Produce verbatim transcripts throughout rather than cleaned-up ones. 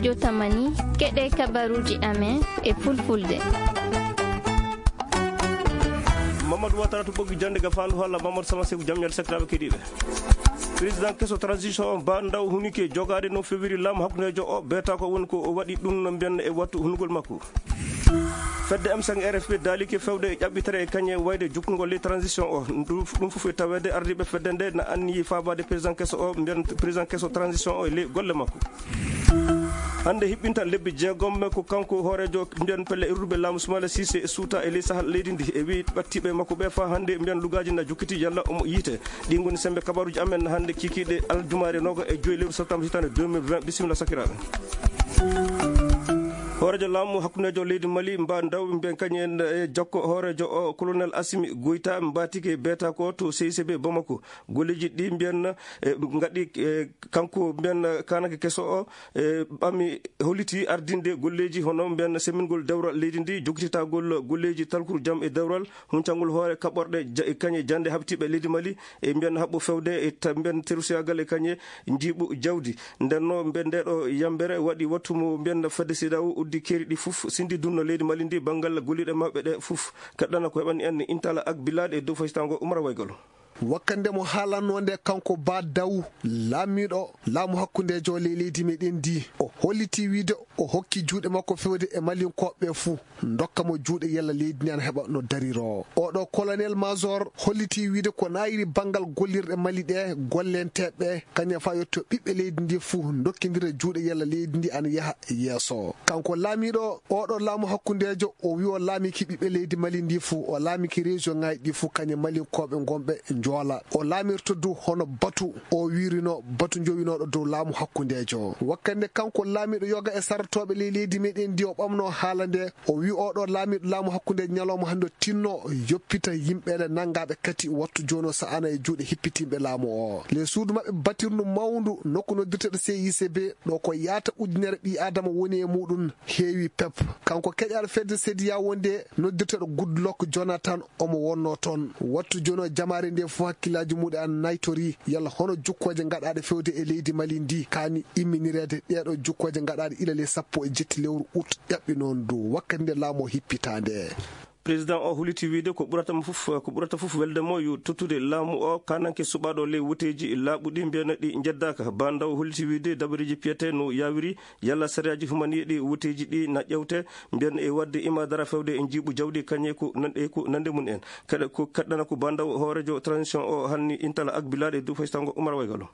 Jotamani, keɗe kabaruuji amen e fulfulde. Mamadou Watara to ɓoggi jannde ga faandu holla Mamadou Sama Seku, jam ñaali sakiraaɓe keɗiiɓe. Président keso transition on, Ba Ndaw Hunike, jogaade no fewiri laamu hakkundeejo o, beeta ko woni ko o waɗi ɗum no mbiyan e wattu hunugol makko. Fedde M cinq R F P daalike fewde e ƴaɓɓitere e kañe wayde jukkungol ley transition o. Ɗum ɗum fof e taweede ardiiɓe fedde nde na anniyi faabaade président keso o, mbiyan président keso transition o e ley golle makko. Hannde hiɓɓinta lebbi jeegom ko kanko hooreejo mbiyan pelle irduɓe laamu Sumaila Cissé e suuta e ley sahal leydi ndi. E wi ɓattiiɓe makko ɓe faa hannde mbiyan lugaaji na jukkiti yalla omo yiite. Ɗi ngoni sembe kabaruuji amen hannde kikiiɗe aljumaare nooga e joyi lewru septembre hitaande deux mille vingt. Bisimilla sakiraaɓe. Hooreejo laamu hakkundeejo leydi Mali, Mba Ndaw, mbiyen kañum en e jokko hooreejo o, Colonel Assimi Goïta, mbaatike beeta ko to C I C B Bamako. Golleeji ɗi mbiyen, e, ngaɗi, e, kanko mbiyen kaananke keso o, e, ɓami holliti ardinde golleeji hono mbiyen semmingol dewral leydi ndi, jokkititagol golleeji talkuru jam e dewral, huncangol hoore kaɓorɗe ja-, e kañe jannde haɓtiiɓe leydi Mali, e mbiyen haɓɓo fewde e ta-, mbiyen terusiyaagal e kañe njiiɓu jawdi. Nden no mbiyen nde ɗo yambere waɗi wattu mo mbiyen fedde CEDEAO uddi keeri ɗi fof, sindi dunno leydi Mali ndi banngal golliɗe maɓɓe ɗe fof. Keɗɗana ko heɓani en Intala ak Bilal e dow faytango Umar Waygalo. Wakkande mo haalanno nde kanko Ba Daw, laamiiɗo laamu hakkundeejo ley leydi meɗen ndi, o holliti wiide o hokki juuɗe makko fewde e Malinkooɓe fuu, ndokka mo juuɗe yalla leydi ndi ana heɓa no dariro. Oɗo colonel major holliti wiide ko naayiri banngal gollirɗe Mali ɗe, gollenteeɓe, kañum faa yetto ɓiɓɓe leydi ndi fuu ndokkindira juuɗe yalla leydi ndi ana yaha yeeso. Kanko laamiiɗo oɗo laamu hakkundeejo, o wi o laamiki ɓiɓɓe leydi Mali ndi fuu, o laamiki région ŋaaji ɗi fuu, kañum Malinkooɓe ngonɓe Njoola. O laamirta du hono batu o wirino batu jowinooɗo dow laamu hakkundeejo. Wakkande kanko laamiiɗo yoga e sartooɓe ley leydi meɗen ndi o ɓamno haala nde, o wi oɗo laamiiɗo laamu hakkunde ñalawma hannde o tinno yoppita yimɓe ɗe nanngaaɓe kati wattu jooni o sa'ana e juuɗe hippitinɓe laamu o. Le suudu maɓɓe batirndu mawndu nokku noddirteɗo C I C B ɗo ko yaata ujunere ɓii Aadama woni e muɗum heewi pep. Kanko keƴaaɗo fedde CEDEAO nde noddirteɗo Goodluck Jonathan omo wonno toon. Wattu jooni o jamaare nde fof hakkillaaji muɗum ana naytori yalla hono jukkooje gaɗaaɗe fewde e leydi Mali ndi kaani imminireede. Ɗeeɗo jukkooje gaɗaaɗe ila le sappo e jetti lewru ut ƴaɓɓi noon du wakkati nde laamu o hippitaande. Président o huliti wiide ko ɓurata mo fof, ko ɓurata fof welde mo yo tottude laamu o kananke suɓaaɗo ley woteeji laaɓuɗi mbiyen ɗi njeddaaka. Ba Ndaw huliti wiide dabareeji piyete no yaawiri yalla sariyaaji humaniiɗi woteeji ɗi na ƴewte mbiyen e waɗde imaadara fewde e njiiɓu jawdi kañe ko nan-, e ko nande mum en. Kaɗa ko kaɗɗana ko Ba Ndaw hooreejo transition o hanni Intala ak Bilal e dow faytango Umar Waygalo.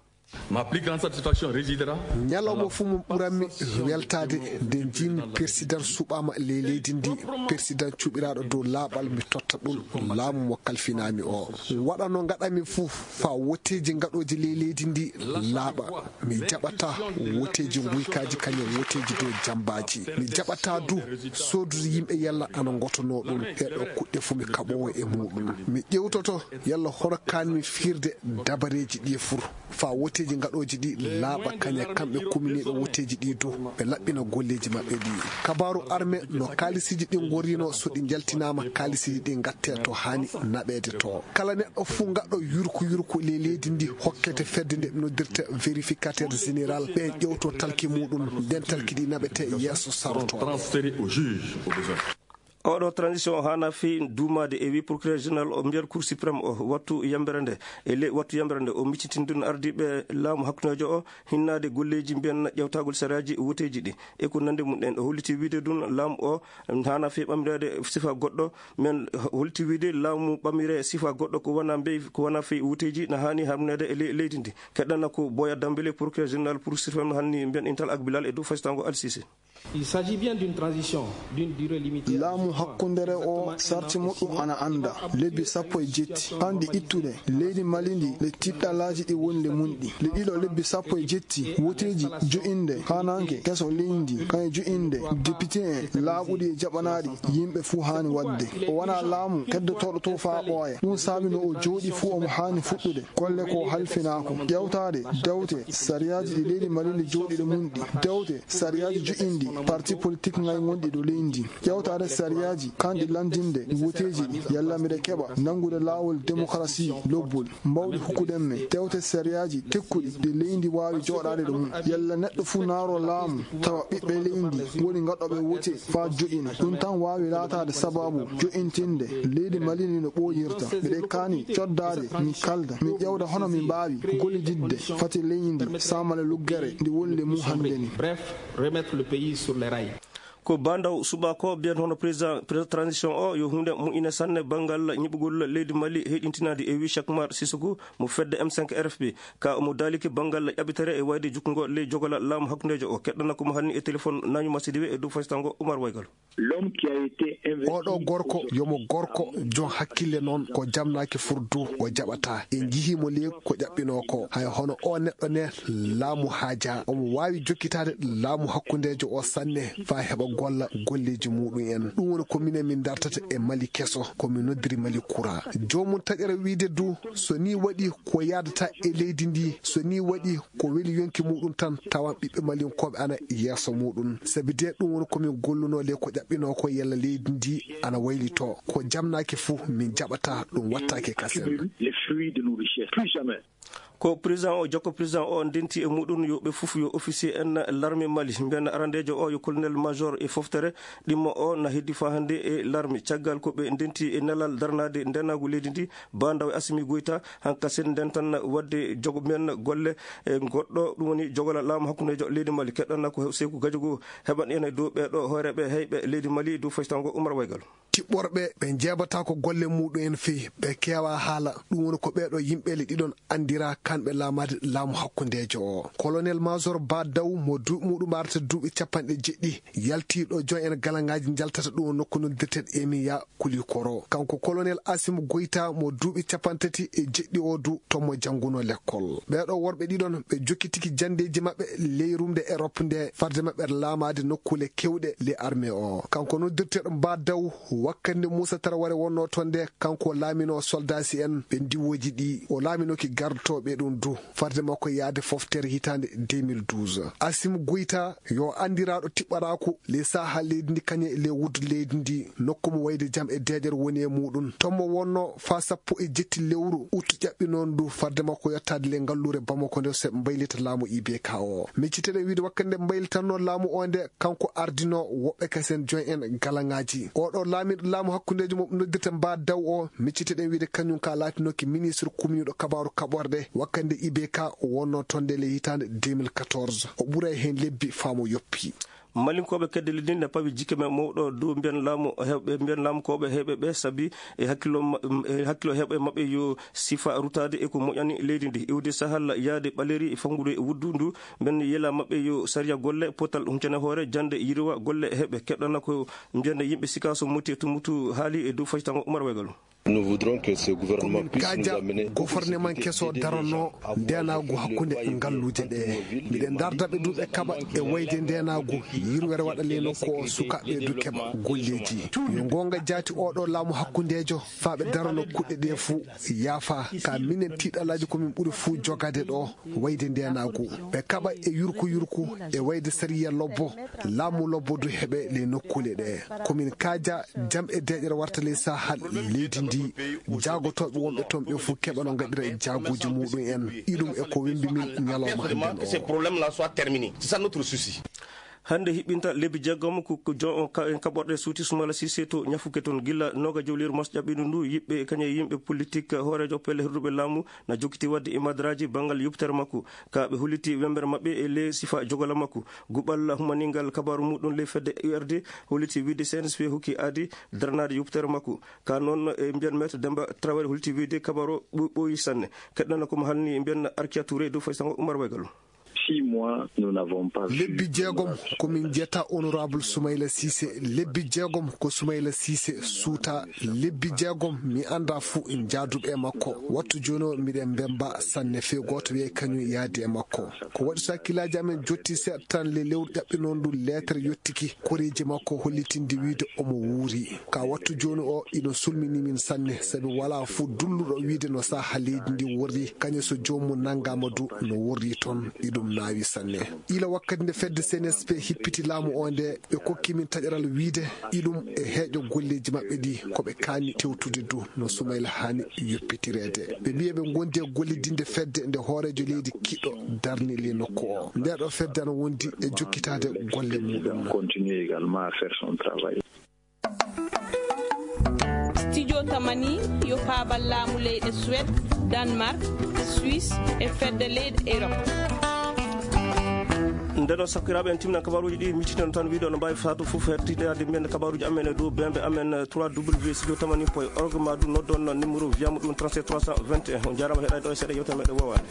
Ma plus grande satisfaction résidera. Ñalawma fof mo ɓuranmi weltaade nde njiimi président suɓaama ley leydi ndi, président cuɓiraaɗo dow laaɓal, mi totta ɗum laamu mo kalfinaami o. Waɗa no ngaɗami fof faa woteeji ngaɗooji ley leydi ndi laaɓa. Mi jaɓataa woteeji nguykaaji kañum woteeji dow jammbaaji. Mi jaɓataa du soodude yimɓe yalla ana ngotonoo ɗum. Ɗeeɗoo kuɗɗe fof mi kaɓoowo e muɗum. Mi ƴewtoto yalla hono kaanmi fiirde dabareeji ɗi fur. Faa woteeji ngaɗooji ɗi laaɓa kañe kamɓe kuminiiɓe woteeji ɗi du ɓe laɓɓina golleeji maɓɓe ɗi. Kabaaru arme no kaalisiiji ɗi ngoriino so ɗi njaltinaama kaalisiiji ɗi ngattee to haani naɓeede to. Kala neɗɗo fuu ngaɗɗo yurku yurku ley leydi ndi hokkete fedde nde noddirta vérificateur général ɓe ƴewto talki muɗum nden talki ɗi naɓete yeeso saroto. Transféré au juge au besoin. Oɗo transition o haana fii duumaade e wi procureur général o mbiyat cour suprême o wattu yambere nde e ley wattu yambere nde o miccitindun ardiiɓe laamu hakkundeejo o hinnaade golleeji mbiyen ƴewtagol sariyaaji woteeji ɗi e ko nande mum en. O holliti wiide ɗum laamu o haana fii ɓamreede sifa goɗɗo. Men holliti wiide laamu ɓamire sifa goɗɗo ko wona mbey, ko wona fii woteeji na haani harmineede e ley-, leydi ndi. Keɗɗana ko Boya Dambele, procureur général pour sirfam hanni mbiyen Intal ak Bilal e dow faytango Al Sisi. Il s'agit bien d'une transition, d'une durée limitée. Laamu hakkundere o sarti muɗum ana annda lebbi sappo e jetti. Anndi ittude leydi Mali ndi le tiɗɗalaaji ɗi woni le mum ɗi. Le ɗiɗo lebbi sappo e jetti, woteeji jo'inde kaananke keso leydi ndi, kañum jo'inde député en laaɓuɗi e jaɓanaaɗi yimɓe fuu haani waɗde. O wonaa laamu heddotooɗo to faa ɓooya. Ɗum saabi no o jooɗi fuu omo haani fuɗɗude golle ko halfinaa ko. Ƴeewtaade dewte sariyaaji ɗi leydi Mali ndi jooɗi le mum ɗi. Dewte sariyaaji jo'inɗi Parti politik ŋay gonɗi ɗo leydi ndi, ƴewtaade sariyaaji kanɗi lanndinde woteeji ɗi, yalla miɗe keɓa nanngude laawol demokarasi lobbol mbawɗi hokkude mi tewte sariyaaji tekkuɗi ɗi leydi waawi jooɗaade ɗo mum, yalla neɗɗo fuu naaro laamu tawa ɓiɓɓe leydi woni ngaɗooɓe wote faa joɗɗina. Ɗum tan waawi laataade sabaabu joɗɗintinde leydi Mali ndi no ɓooyirta. Miɗe kaani coddaade, mi kalda, mi ƴeewda hono mi mbaawi gollididde fati leydi ndi saamale luggere ndi woni le mum hannde ni. Bref, remettre le pays sur les rails. Ko Ba Ndaw subaka o mbiyata hono président, président transition o yo huunde moƴƴine sanne banngal ñiɓugol leydi Mali heyɗintinaandi, e wi Cheikh Oumar Sissoko mo fedde M cinq R F P. Ka omo daaliki banngal ƴaɓɓitere e wayde jukkungo ley jogola laamu hakkundeejo o. Keɗɗana ko mo halni e téléphone Nañuma Sidiwe e dow faysango Oumar Waygal. L'homme qui a été investi Oɗo gorko, yomo gorko, jon hakkille noon, ko jamnaaki furdu, o jaɓata. En njihii mo le ko ƴaɓɓinoo ko. Hay hono o neɗɗo ne, laamu haajaa. Omo waawi jokkitaade laamu hakkundeejo o sanne, faa heɓa golla golleeji muɗum en. Ɗum woni ko minen min dartata e Mali keso, ko min noddiri Mali kura. Joomum taƴere wiide du, so nii waɗi ko yaadata e leydi ndi, so nii waɗi ko weli yonki muɗum tan, tawan ɓiɓɓe Malinkooɓe ana yeeso muɗum. Sabi de ɗum woni ko min gollunoo le ko ƴaɓɓinoo ko yalla leydi ndi ana waylitoo. Ko jamnaaki fuu, min jaɓata, ɗum wattaake kasen. Accumule les fruits de nos richesses. Plus jamais. Ko président o, jokko président o ndenti e muɗum yo ɓe fof yo officier en l'armée Mali. Mbiyen arandeejo o yo colonel major e foftere ɗimmo o na heddi faa hannde e l'armée. Caggal ko ɓe ndenti e nelal darnaade ndenaagu leydi ndi, Ba Ndaw e Assimi Goïta, hankasen ndentan waɗde jogo men golle e goɗɗo, ɗum woni jogola laamu hakkundeejo leydi Mali. Keɗɗana ko Seyku Gajogo heɓan en e dow ɓeeɗo hooreeɓe heyɓe leydi Mali, dow faysango Oumar Waygal. Tiɓɓorɓe ɓe njeeɓataa ko golle muɗum en feyi, ɓe keewaa haala. Ɗum woni ko ɓeeɗo yimɓe le ɗiɗon anndira kanɓe laamaade laamu hakkundeejo o. Colonel major Ba Ndaw mo duuɓi muɗum arata duuɓi capanɗe jeɗɗi, yaltiiɗo jon en galaŋaaji njaltata ɗum nokku noddirteeɗo Emiya Kulikoro. Kanko colonel Assimi Goïta mo duuɓi capantati e jeɗɗi o du, toon mo janngunoo lekkol. Ɓeeɗo worɓe ɗiɗon ɓe jokkitiki janndeeji maɓɓe ley rumde Europe nde, farde maɓɓe laamaade nokkuule keewɗe ley armée o. Kanko noddirteeɗo Ba Ndaw, wakkati nde Muusa Taraware wonnoo toon nde, kanko o laaminoo soldaasi en ɓe ndiwooji ɗi, o laaminooki gardotooɓe ɗum du, farde makko yaade foftere hitaande deux mille douze. Assimi Goïta yo anndiraaɗo tiɓɓaraaku ley saaha leydi ndi, kañum e ley wuddu leydi ndi, nokku mo wayde jam e deeƴere woni e muɗum. Toon mo wonnoo faa sappo e jetti lewru ut ƴaɓɓinoondu, farde makko yottaade ley ngalluure Bamako nde, so ɓe mbaylita laamu I B K o. Micciteɗen wiide wakkati nde mbaylitatnoo laamu o nde, kanko ardinoo woɓɓe kasen jon en galaŋaaji. Oɗo laamiiɗo laamu hakkundeejo mo noddirta Ba Ndaw o, micciteɗen wiide kañum ka laatinooki ministre kumniiɗo kabaaru kaɓorɗe wakkati nde I B K wonnoo toon nde ley hitaande deux mille quatorze. O ɓuray heen lebbi faa mo yoppi. Malinkooɓe kedde leydi ndi ne pawi jikke men mawɗo dow mbiyen laamu heewɓe, mbiyen laamu kooɓe heewɓe ɓe, sabi e hakkillo ma-, e hakkillo heewɓe maɓɓe yo sifa rutaade e ko moƴƴani leydi ndi. Iwde Sahal yaade Ɓaleeri e fanngude wuddu ndu, mbiyen yela maɓɓe yo sariya golle, potal huncane hoore, jannde yirwa golle heewɓe. Keɗɗana ko mbiyen yimɓe Sikaso, Moti e Tumbutu haali e dow faytango Oumar Waygal. Nous voudrons que ce gouvernement puisse nous amener une sécurité déjà avant de parler de la ville de Libreville. Ko min kaaja gofornemanke so daranno ndeenaagu hakkunde ngalluuje ɗe. Miɗen ndaarda ɓe du ɓe kaɓa e wayde ndeenaagu, yirwere waɗa ley nokku o, sukaaɓe du keɓa golleeji. Yo ngoonga jaati oɗo laamu hakkundeejo, faa ɓe darano kuɗɗe ɗe fuu yaafa. Ka minen tiiɗalaaji ko min ɓuri fuu jogaade ɗo, wayde ndeenaagu. Ɓe kaɓa e yurku yurku, e wayde sariya lobbo, laamu lobbo du heɓe ley nokkuule ɗe. Ko min kaaja jam e deeƴere warta ley sahal leydi ndi, jaagotooɓe wonɓe toon ɓe fuu keɓa no ngaɗira e jaaguuji muɗum en. Iɗum e ko wembi min ñalawma hannde o. Ces problèmes-là soient terminés. C'est ça notre souci. Hannde hiɓɓinta lebbi jeegom ko, ko jo-, ka-, kaɓorɗe suuti Soumaïla Cissé to Ñafuke toon. Gilla nooga jowliiru mars ƴaɓɓiindu ndu, yiɓɓe kañum e yimɓe politik, hooreejo pelle hirduɓe laamu na jokkiti waɗde e madraji banngal yoppitere makko. Ka ɓe holliti wembere maɓɓe e ley sifa jogola makko. Guɓal humaningal kabaaru muɗum ley fedde U R D holliti wiide C N S P hokki aadi daranaade yoppitere makko. Ka noon e mbiyen Maître Demba Traoré holliti wiide kabaaru o ɓo-, ɓooyi sanne. Keɗɗana ko mo halni mbiyen Arkia Touré dow faysango Oumar Waygal. Six mois, nous n'avons pas vu. Lebbi jeegom ko min njiyata honorable Soumaïla Cissé. Lebbi jeegom ko Soumaïla Cissé suuta. Lebbi jeegom mi annda fuu jaaduɓe e makko. Wattu jooni o miɗen mbemba sanne fee gooto wiyay kañum yaadi e makko. Ko waɗi so hakkillaaji amen jotti seeɗa tan le lewru ƴaɓɓinoondu leetere yottiki koreeji makko hollitinde wiide omo wuuri. Ka wattu jooni o iɗon sulmini min sanne, sabi walaa fuu dulluɗo wiide no saaha leydi ndi worri, kañum so joomum nanngaama du no worri toon. Iɗum Naawi sanne. Ila wakkati nde fedde C N S P hippiti laamu o nde, ɓe kokki min taƴaral wiyde iɗum e heeƴo golleeji maɓɓe ɗi, ko ɓe kaani tewtude du, no Sumayla haani yoppitireede. Ɓe mbiyi ɓe ngondi e gollidinde fedde nde hooreejo leydi kiɗɗo darni li nokku o. Nde ɗo fedde ana wondi e jokkitaade golle muɗum. Continuer également à faire son travail. Studio Tamani yo paabal laamu leyɗe Suède, Danemark, Suisse e fedde leyɗe Europe. Nde ɗo sakkiraaɓe, en timnan kabaruuji ɗi, micciten tan wiide no mbaawi faatu fof hertidaade mbiyen kabaruuji amen e dow bembe amen trois w studio tamani point org, ma du noddon numéro wiyama ɗum trente-sept trois cent vingt et un. On njaaraama heɗaade ɗo e seeɗa yewtere meɗen wowaade.